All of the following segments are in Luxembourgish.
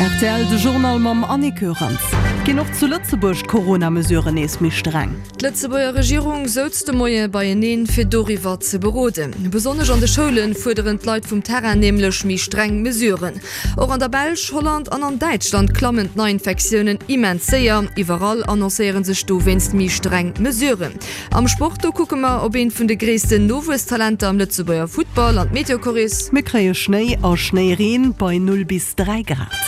Rtl, De Journal mam Annick Goerens. Ginn och zu Lëtzebuerg d'Corona-Mesuren nees méi streng? D'Lëtzebuerger Regierung souz de Moie beieneen, fir doriwwer ze beroden. Besonnesch an de Schoule fuerderen d'Leit vum Terrain nämlech méi streng Mesuren. Och an der Belsch, Holland an an Däitschland klammen d'Neiinfektiounen immens séier. Iwwerall annoncéiere sech dowéinst méi streng Mesuren. Am Sport, do kucke mer op eent vun de gréissten Nowuesstalenter am Lëtzebuerger Futtball an d'Meteochorris. Mir kréie Schnéi a Schnéireen bei 0 bis 3 Grad.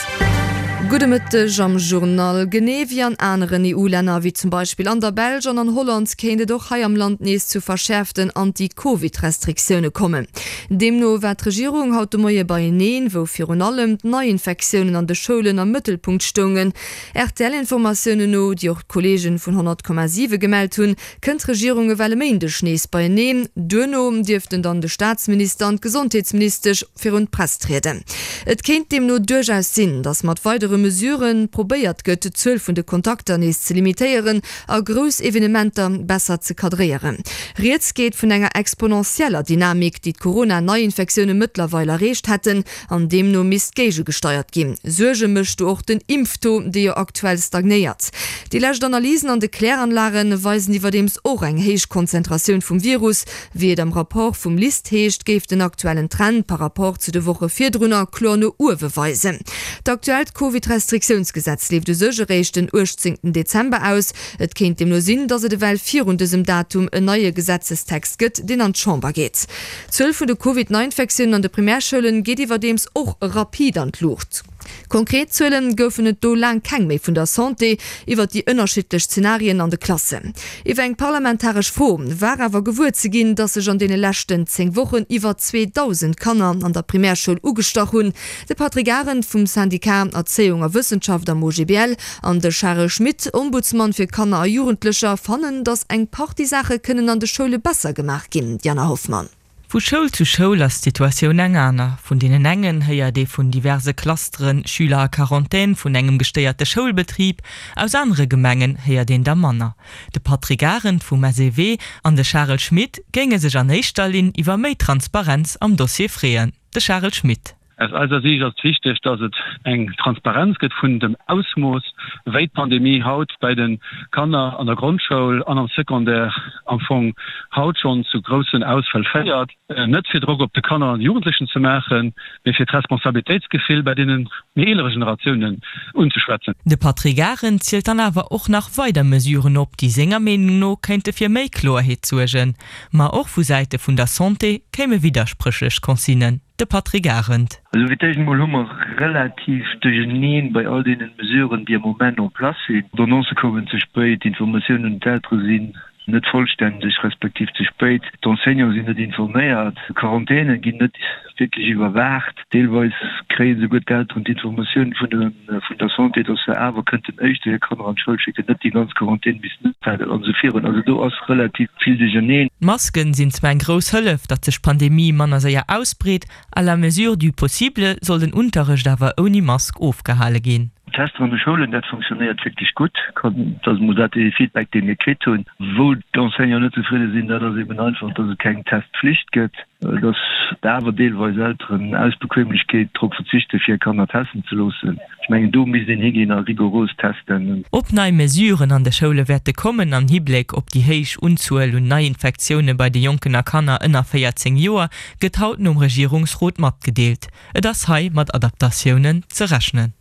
Gudde Mëtteg am Journal. Genee wéi an aneren EU-Länner, wéi zum Beispill an der Belsch an an Holland, kéint et och hei am Land nees zu verschäerften Anti-Covid-Restriktioune kommen. Deemno war d'Regierung haut de Moie beieneen, wou virun allem d'Neiinfektiounen an de Schoulen am Mëttelpunkt stoungen. RTL-Informatiounen no, déi och d'Kolleegen vun 100,7 gemellt hunn, kënnt d'Regierung ewell e Méindeg nees beieneen. Duerno dierften dann de Staatsminister an d'Gesondheetsministesch virun d'Press trieden. Et kéint deemno duerchaus sinn, datt mat weidere Mesurë probéiert gëtt, d'Zuel vun de Kontakter nees ze limitéieren a grouss Evenementer besser ze kadréieren. Rieds geet vun enger exponentieller Dynamik, déi d'Corona-Neiinfektioune mëttlerweil erreecht hätten. An deemno misst géigegesteiert ginn. Suerge mécht do och den Impftaux, dee jo aktuell stagnéiert. Déi lescht Analysen an de Kläranlage weisen iwwerdeems och eng héich Konzentratioun vum Virus. Wéi et am Rapport vum LIST heescht, géif den aktuellen Trend par Rapport zu de Woche virdrunner kloer no uewe weisen. D'aktuellt Covid-Restriktiounsgesetz leeft u sech eréischt den 18 Dezember aus. Et kéint deemno sinn, datt et ewell virun dësem Datum en neie Gesetzestext gëtt, deen an d'Chamber geet. D'Zuel vun de Covid-Neiinfektiounen an de Primärschoulen geet iwwerdeems och rapid an d'Luucht. Konkret Zuele goufen et do laang keng méi vun der Santé iwwer déi ënnerschiddlech Zenarien an de Klassen. Iwwer eng parlamentaresch Fro war awer gewuer ze ginn, datt sech an deene leschten 10 Wochen iwwer 2.000 Kanner an der Primärschoul ugestach hunn. De Patrick Arendt vum Syndicat Erzéiung a Wëssenschaft am OGBL an de Charel Schmit, Ombudsmann fir Kanner a Jugendlecher, fannen, datt eng Partie Saache kënnen an de Schoule besser gemaach ginn. Diana Hoffmann. Vu Schoul zu Schoul ass d'Situatioun eng aner. Vun deenen engen héiert ee vun diverse Clusteren, Schüler a Quarantän, vun engem gestéierte Schoulbetrib. Aus anere Gemengen héiert een der manner. De Patrick Arendt vum SEW an de Charel Schmit géinge sech an éischter Linn iwwer méi Transparenz am Dossier freeën. De Charel Schmit. Aus eiser Siicht ass et wichteg, dass et eng Transparenz gëtt vun dem Ausmooss, wéi d'Pandemie haut bei de Kanner an der Grondschoul an am Secondaire am Fong haut schonn zu groussen Ausfäll féiert. Net fir Drock op de Kanner an de Jugendlechen ze maachen, mee fir d'Responsabilitéitsgefill bei deene méi eelere Generatiounen unzeschwätzen. De Patrick Arendt zielt dann awer och nach weider Mesuren op, déi senger Meenung no kéinte fir méi Kloerheet suergen. Ma och vu Säite vun der Santé kéime widderspréchlech Consignen. De Patrick Arendt. Also fir d'éischt emol hu mer relativ duercherneen bei all deenen Mesuren, déi am Moment en place sinn. D'Annoncë koumen ze spéit, d'Informatiounen un d'Eltere sinn net vollständeg respektiv ze spéit, d'Enseignante sinn net informéiert, d'Quarantäne ginn net wierklech iwwerwaacht, deelweis kréie souguer d'Elteren d'Informatioun vun vun der Santé, dass se awer kënnten éischter hir Kanner an d'Schoul schécken, net déi ganz Quarantän missten ophalen an esou virun. Also do ass relativ vill duercherneen. D'Masken sinn zwar eng grouss Hëllef, datt sech d'Pandemie manner séier ausbreet, à la mesure du possible soll den Unterrecht awer ouni Mask ofgehale ginn. D'Tester an de Schoulen, dat funktionéiert wierklech gutt. Dat ass emol dat dee Feedback, dee mir kritt hunn. Wou d'Enseignanten net zefridde sinn, dat ass eben einfach, dass et keng Testpflicht gëtt. Dass awer deelweis Elteren aus Bequemlechkeet drop verzichten, fir hir Kanner testen ze loossen. Ech mengen, do misst een higinn a rigoros testen. Ob nei Mesuren an de Schoule wäerte kommen am Hibléck op déi héich Unzuel un Neiinfektioune bei de Jonken a Kanner ënner 14 Joer, gëtt haut nom Regierungsrot matgedeelt. Et ass hei mat Adaptatiounen ze rechnen.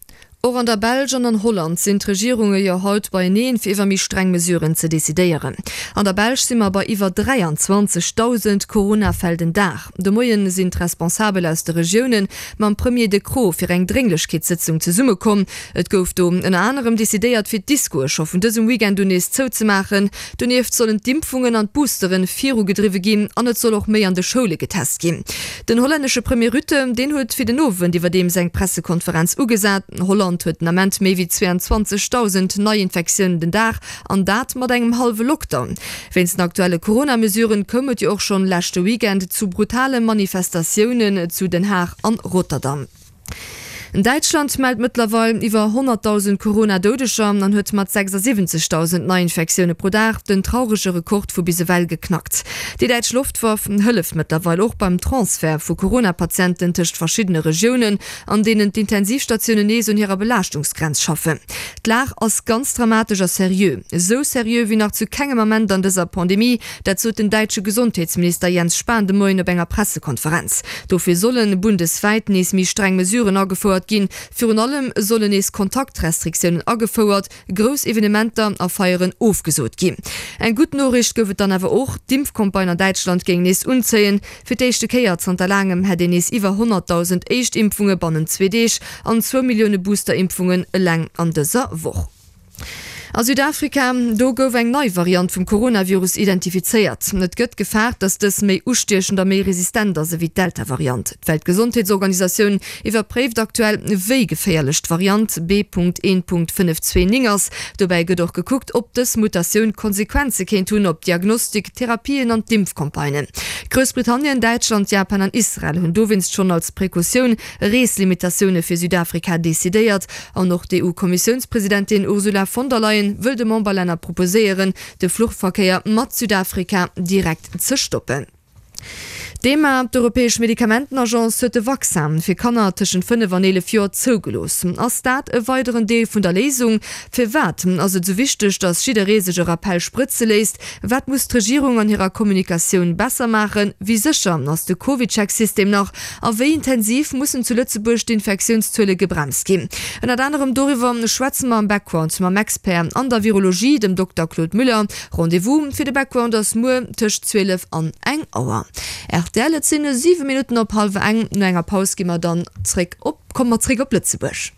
Och an der Belsch an an Holland sinn d'Regierunge jo haut beieneen, fir iwwer méi streng Mesuren ze decidéieren. An der Belsch si mer bei iwwer 23.000 Corona-Fäll den Dag. De Moien sinn d'Responsabel aus de Regioune mam Premier De Croo fir eng Drénglechkeetssëtzung zesummekomm. Et gouf do ënner anerem decidéiert, fir d'Discoe scho vun dësem Weekend un nees zouzemaachen. Donieft sollen d'Impfungen an d'Boosteren virugedriwwe ginn an et soll och méi an de Schoule getest ginn. Den hollännesche Premier Rutte, deen huet fir den Owend iwwerdeems eng Pressekonferenz ugesat. Holland huet den Ament méi wéi 22.000 Neiinfektiounen den Dag an dat mat engem hallwe Lockdown. Wéinst den aktuelle Corona-Mesuren koum et jo och schonn leschte Weekend zu brutale Manifestatiounen zu Den Haag an Rotterdam. Däitschland mellt mëttlerweil iwwer 100.000 Corona-Doudeger an huet mat 76.000 Neiinfektioune pro Dag den traurege Rekord vu bis ewell geknackt. Déi däitsch Loftwaff hëlleft mëttlerweil och beim Transfert vu Corona-Patienten tëscht verschiddene Regiounen, an deenen d'Intensivstatiounen nees un hirer Belaaschtungsgrenz schaffen. D'Lag ass ganz dramatesch a seriö, esou seriö wéi nach zu kengem Ament an dëser Pandemie. Dat sot den däitsche Gesondheetsminister Jens Spahn de Moien op enger Pressekonferenz. Dofir solle bundeswäit nees méi streng Mesuren agefouert ginn. Virun allem sollen nees Kontaktrestriktiounen agefouert, grouss Evenementer a Feieren ofgesot ginn. Eng gutt Noriicht gouf et dann awer och, D'Impfcampagne an Däitschland géing nees unzéien. Fir d'éischte Kéier zanter laangem hätt een nees iwwer 100.000 Éischtimpfunge bannent zwee Deeg an zwou Millioune Booster-Impfungen eleng an dëser Woch. A Südafrika, do gouf eng nei Variant vum Coronavirus identifizéiert. Et gëtt gefaart, datt dës méi ustiechend a méi resistent ass ewéi d'Delta-Variant. D'Weltgesondheetsorganisatioun iwwerpréift aktuell, wéi geféierlech d'Variant B.1.529 ass. Dobäi gëtt och gekuckt, ob dës Mutatioun Konsequenze kéint hunn op d'Diagnostik, d'Therapien an d'Impfcampagnen. Groussbritannien, Däitschland, Japan an Israel hunn dowéinst schonn als Precautioun Reeslimitatioune fir Südafrika decidéiert. An och d'EU-Kommissiounspresidentin Ursula von der Leyen wëll de Memberlänner proposéieren, de Fluchverkéier mat Südafrika direkt ze stoppen. D'EMA, d'Europäesch Medikamentenagence, huet de Vaccin fir Kanner tëschent 5 an 11 Joer zougelooss. Ass dat e weideren Deel vun der Léisung? Firwat ass et esou wichteg, datt jidderee sech e Rappell sprëtze léisst? Wat muss d'Regierung an hirer Kommunikatioun besser maachen? Wéi sécher ass de CovidCheck-System nach? A wéi intensiv mussen zu Lëtzebuerg d'Infektiounszuele gebremst ginn? Ënnert anerem doriwwer schwätze mer am Background mam Expert an der Virologie, dem Dokter Claude Müller. Rendez-vous fir de Background ass muer tëscht 12 an eng Auer. Rtl, Et sinn 7 Minutten op hallwer eng. No enger Paus gi mer dann zréck op. Komme mer zréck op Lëtzebuerg.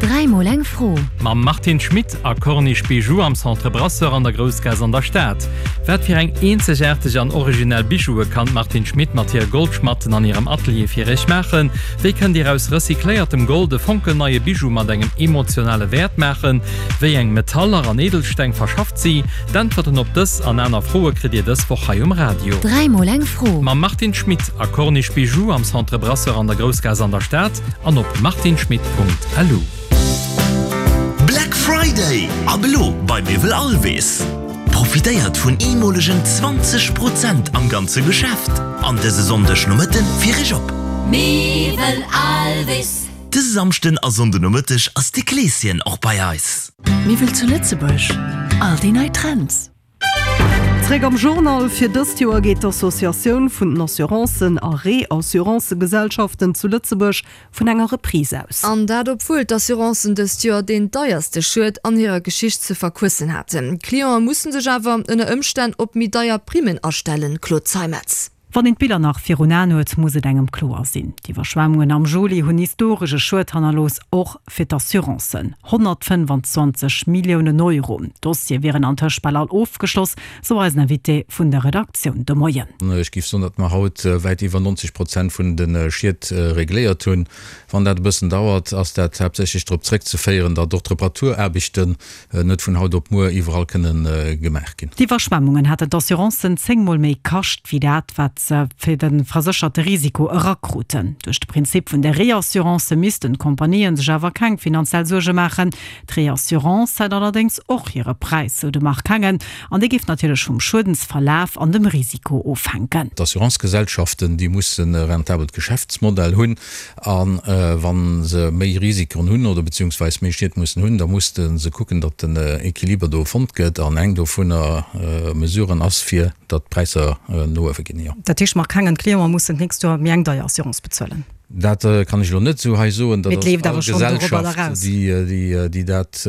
Dräimol eng Fro. Mam Martine Schmit a Corniche Bijoux am Centre Brasseur an der Groussgaass an der Stad. Wat fir eng eenzegaarteg an originell Bijoue kann d'Martine Schmit mat hire Goldschmatten an hirem Atelier fir iech maachen? Wéi kënnt dir aus recycléiertem Gold e fonkelneie Bijou mat engem emotionale Wäert maachen? Wéi eng Metaller an Edelsteng verschafft si? D'Äntwerten op dës an aner Froe kritt Dir dës Woch hei um Radio. Dräimol eng Fro. Mam Martine Schmit a Corniche Bijoux am Centre Brasseur an der Groussgaass an der Stad an op martineschmitt.lu. Black Friday ab elo bei Miwwel Alvis! Profitéiert vun eemolegen 20 Prozent am ganze Geschäft an dëse Sonndeg Nomëtten fir Iech op. Miwwel Alvis. Dëse Samschden a Sonnde Nomëtteg ass de Kleeschen och bei eis. Miwwel zu Lëtzebuerg, all déi nei Trends. Zréck am Journal. Fir dëst Joer geet d'Associatioun vun den Assurancen a Reassurancëgesellschaften zu Lëtzebuerg vun enger Reprise aus. An dat obwuel d'Assurancen dëst Joer deen deierste Schued an hirer Geschicht ze verquëssen haten. D'Cliente musse sech awer ënner Ëmstänn op méi deier Primmen astellen, Claude Zeimetz. Wann een d'Biller nach virun Aen huet, muss et engem kloer sinn, D'Iwwerschwemmungen am Juli hunn historesche Schued hannerlooss, och fir d'Assurancen, 125 Milliounen Euro. D'Dossiere wieren antëscht bal all ofgeschloss, sou eisen Invité vun der Redaktioun de Moien. Ech géif soen, datt mer haut wäit iwwer 90 Prozent vun de Schied regléiert hunn. Wann dat e bëssen dauert, ass dat haaptsächlech drop zréckzeféieren, datt och d'Reparaturaarbechten net vun haut op muer iwwerall kënne gemaach ginn. D'Iwwerschwemmungen hätten d'Assurancen 10 Mol méi kascht, wéi dat, wat se fir de versécherte Risiko erakruten. Duerch de Prinzip vun der Reassurance missten d'Compagnië sech awer keng finanziell Suerge maachen. D'Reassurance hätt allerdéngs och hire Präis, sou de Marc Hengen, an dee géif natierlech vum Schuedensverlaf an dem Risiko ofhänken. D'Assurancegesellschaften, déi mussen e rentabelt Geschäftsmodell hunn. A wa se méi Risikoen hunn oder beziehungsweis méi Schied mussen hunn, da musste se kucken, datt den Equiliber do fonnt gëtt. An eng dovunner Mesuren ass, fir datt d'Präisser no uewe ginn, jo. Dat heescht, Marc Hengen, d'Clienten mussen d'nächst Joer méi eng deier Assurance bezuelen? Dat kann ech elo net esou hei soen. Dat ass all Gesellschaft, déi dat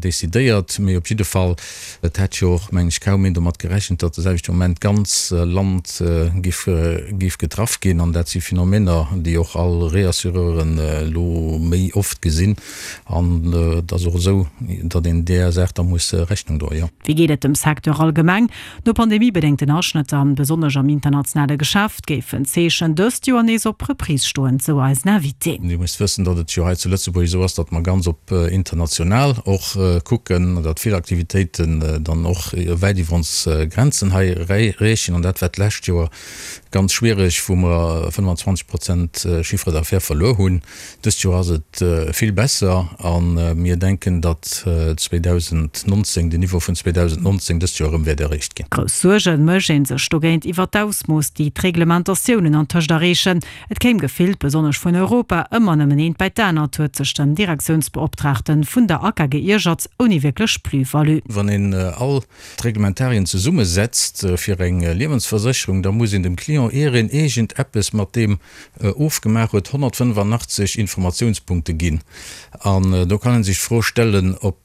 decidéiert. Mee op jidde Fall, Et hätt jo och, mengen ech, kaum een domat gerechent, datt de selwechte Moment d'ganz Land géif getraff ginn. An dat si Phänomener, déi och all Reassureuren elo méi oft gesinn. An et ass och esou, datt een där Saach da muss Rechnung droen, jo. Wéi geet et dem Secteur allgemeng? No pandemiebedéngten Aschnëtter, besonnesch am internationale Geschäft, géifen d'Zeechen dëst Joer nees op Reprise stoen. Prozent, sou eisen Invité. Dir musst wëssen, datt et jo hei zu Lëtzebuerg esou ass, datt mer ganz op international och kucken, datt vill Aktivitéiten dann och wäit iwwer ons Grenzen hei reechen. An dat war d'lescht Joer ganz schwiereg, wou mer 25 Prozent Chiffre d'affaires verluer hunn. Dëst Joer ass et vill besser a mir denken, datt 2019, den Niveau vun 2019 dëst Joer erëm wäert erreecht ginn. Grouss Suerge mécht ee sech dogéint iwwer d'Ausmooss, déi d'Reglementatiounen antëscht erreechen. Et kéim gefillt, besonnesch vun Europa, ëmmer nëmmen eent bäi d'anert, huet sech den Direktiounsbeoptraagte vun der ACA geiergert, ouni wierklech Plus-value. Wann een all d'Reglementarien zesummesetzt fir eng Liewensversécherung, da muss een dem Client, ier een iergend eppes mat deem ofgemaach huet, 185 Informatiounspunkte ginn. An do kann ee sech d'Fro stellen, ob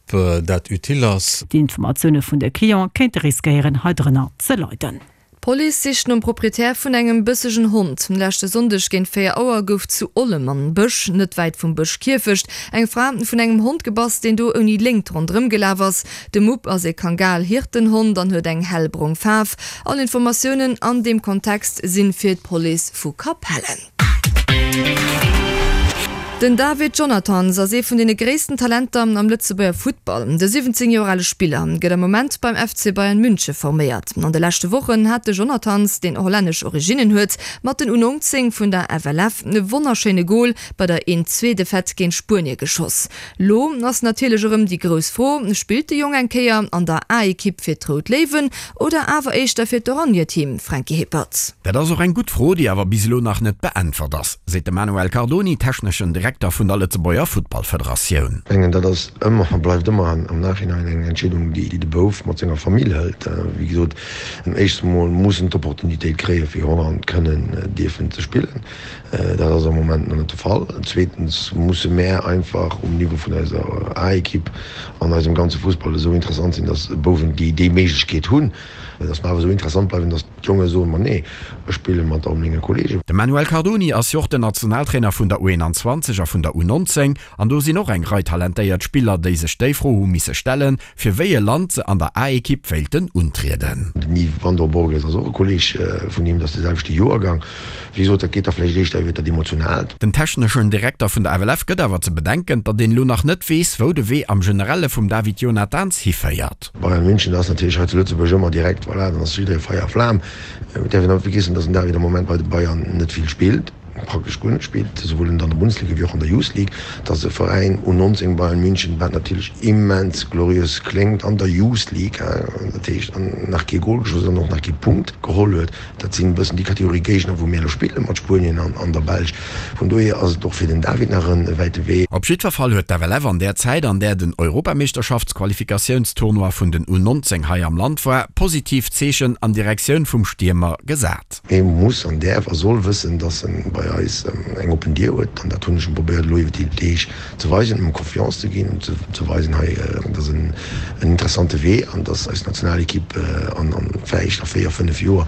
dat utile ass. D'Informatioune vun de Cliente kéinte riskéieren, hei drënner ze leiden. D'Police sicht nom Proprietär vun engem bëssegen Hond. Leschte Sonndeg géint 4 Auer gouf zu Ollem am Bësch, net wäit vum Bëschkierfecht, eng Fra vun engem Hond gebass, deen do ouni Léngt ronderëm gelaf ass. De Mupp ass ee Kangal-Hirtenhond an huet eng hellbrong Faarf. All Informatiounen an deem Kontext sinn fir d'Police vu Capellen. Den David Jonathans ass ee vun deene gréissten Talenter am Lëtzebuerger Futtball. De 17 Joer ale Spiller gëtt am Moment beim FC Bayern Münche forméiert. An de leschte Wochen hat de Jonathans, deen hollännesch Originnen huet, mat den U19 vun der FLF e wonnerschéine Gol bei der Een-Zwee-Defaite géint Spuenie geschoss. Lo ass natierlech erëm déi grouss Fro, Spillt de Jong eng Kéier an der A-Ekipp fir d'Rout Léiwen oder awer éischter fir d'Oranjeteam, Franky Hippert? Dat ass och eng gutt Fro, déi awer bis elo nach net beäntwert ass, seet de Manuel Cardoni, techneschen Direkter vun der Lëtzebuerger Futtballfederatioun. Ech mengen, dat ass ëmmer a bleift ëmmer am Nachhinein eng Entscheedung, déi de Bouf mat senger Famill hëlt. Wéi gesot, éischts emol muss en d'Opportunitéit kréien, fir Holland kënnen dierfen ze spillen. Dat ass am Moment nach net de Fall. Zweetens musse mär einfach um Niveau vun eiser A-Ekipp an eisem ganze Fussball esou interessant sinn, datt Bouwen, déi déi Méiglechkeet hunn, datt mer awer esou interessant bleiwen, datt d'Jonge soen, Ma nee, ech spille mat all menge Kollegen. De Manuel Cardoni ass jo och den Nationaltrainer vun der U21 a vun der U19 an do sinn och eng Rei talentéiert Spiller, déi sech déi Fro hu misse stellen, Fir wéi e Land se an der A-Ekipp wéilten untrieden. Den Yves Van der Borges ass och e Kolleeg vun him, dat ass de selwechte Joergang. Wéi gesot, dat geet da vläicht éischter iwwer dat Emotionaalt. Den techneschen Direkter vun der FLF gëtt awer ze bedenken, datt een elo nach net weess, wou de Wee am Generelle vum David Jonathans hiféiert. Bayern München ass natierlech hei zu Lëtzebuerg ëmmer direkt, voilà, dann ass jidderee Feier a Flam. Et däerf een net vergiessen, datt den David am Moment bei de Bayern net vill spillt. praktesch guer net spillt, esouwuel an der Bundesliga wéi och an der Youth League, dass e Veräin U19 Bayern München, wat natierlech immens gloriös kléngt, an der Youth League, dat heescht nach kee Gol geschoss an och nach kee Punkt geholl huet. Dat sinn e bëssen déi Kategorie Géigner, wou mir elo spille mat Spuenien an der Belsch. Vun dohier ass et och fir den David nach e wäite Wee. Op jiddwer Fall huet d'FLF an där Zäit, an där den Europameeschterschaftsqualifikatiounstournoi vun den U19 hei am Land war, positiv Zeechen an Direktioun vum Stiermer gesat. Hie muss an däerf a soll wëssen, dass en bei eis eng oppen Dier huet. An dat hunn ech em probéiert elo iwwer déi Deeg ze weisen, em Confiance ze ginn, em ze weisen, hei, dat ass en interessante Wee an dass eis Nationalekipp an vläicht a 4, 5 Joer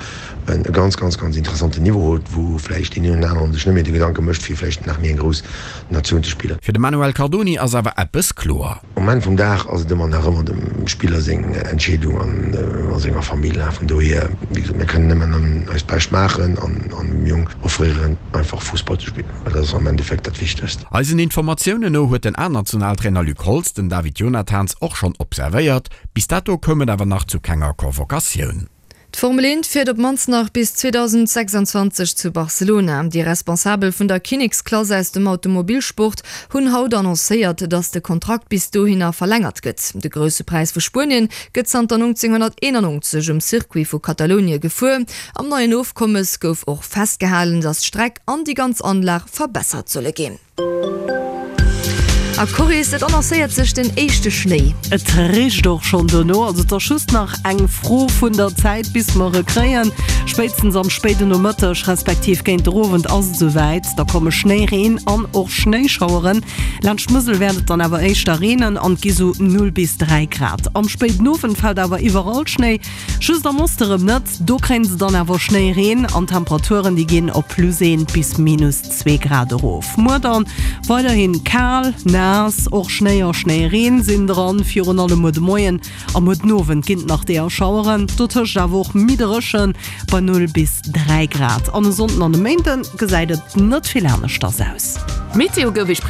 e ganz, ganz, ganz interessanten Niveau huet, wou vläicht deen een oder aneren sech net méi de Gedanke mécht, fir vläicht nach méi eng grouss Natioun ze spillen. Fir de Manuel Cardoni ass awer eppes kloer. Um Enn vum Dag ass et ëmmer nach ëmmer dem Spiller seng Entscheedung an a senger Famill. Vun dohier, wéi gesot, mir kënnen nëmmen eist Bescht maachen an dem Jong offréieren, einfach Fussball ze spillen, well dat ass am Endeffekt dat Wichtegst. Eisen Informatiounen no huet den A-Nationaltrainer Luc Holtz den David Jonathans och schonn observéiert. Bis dato koum et awer nach zu kenger Convocatioun. D'Formel 1 fiert op d'mannst nach bis 2026 zu Barcelona. Déi Responsabel vun der Kinneksklass aus dem Automobilsport hunn haut annoncéiert, datt de Kontrakt bis dohinner verlängert gëtt. De Grousse Präis vu Spuenien gëtt zanter 1991 um Circuit vu Katalounie gefuer. Am neien Ofkommes gouf och festgehalen, datt d'Streck an déi ganz Anlag verbessert solle ginn. A Corris, et annoncéiert sech den éischte Schnéi. Et richt och schonn dono, also et ass just nach eng Fro vun der Zäit bis mer e kréien. Spéitstens am spéiden Nomëtteg respektiv géint der Owend ass et esouwäit, da komme Schnéi, Reen an och Schnéischaueren. Laanscht d'Musel wäert et dann awer éischter reenen an et gi sou 0 bis 3 Grad. Am spéiden Owend fält awer iwwerall Schnéi, just am Oste rëm net. Do kréien se dann awer Schnéi, Reen an d'Temperaturen déi ginn op plus 1 bis minus 2 Grad erof. Muer dann weiderhin kal, naass. naass, och Schnéi a Schnéireen sinn dran. Virun allem muer de Moien a muer den Owend ginn et nach deeër Schaueren, dotëscht awer och méi dréchen bei 0 bis 3 Grad. An e Sonnden an e Méinde gesäit et net vill aneschters aus. D'Meteo gouf Iech.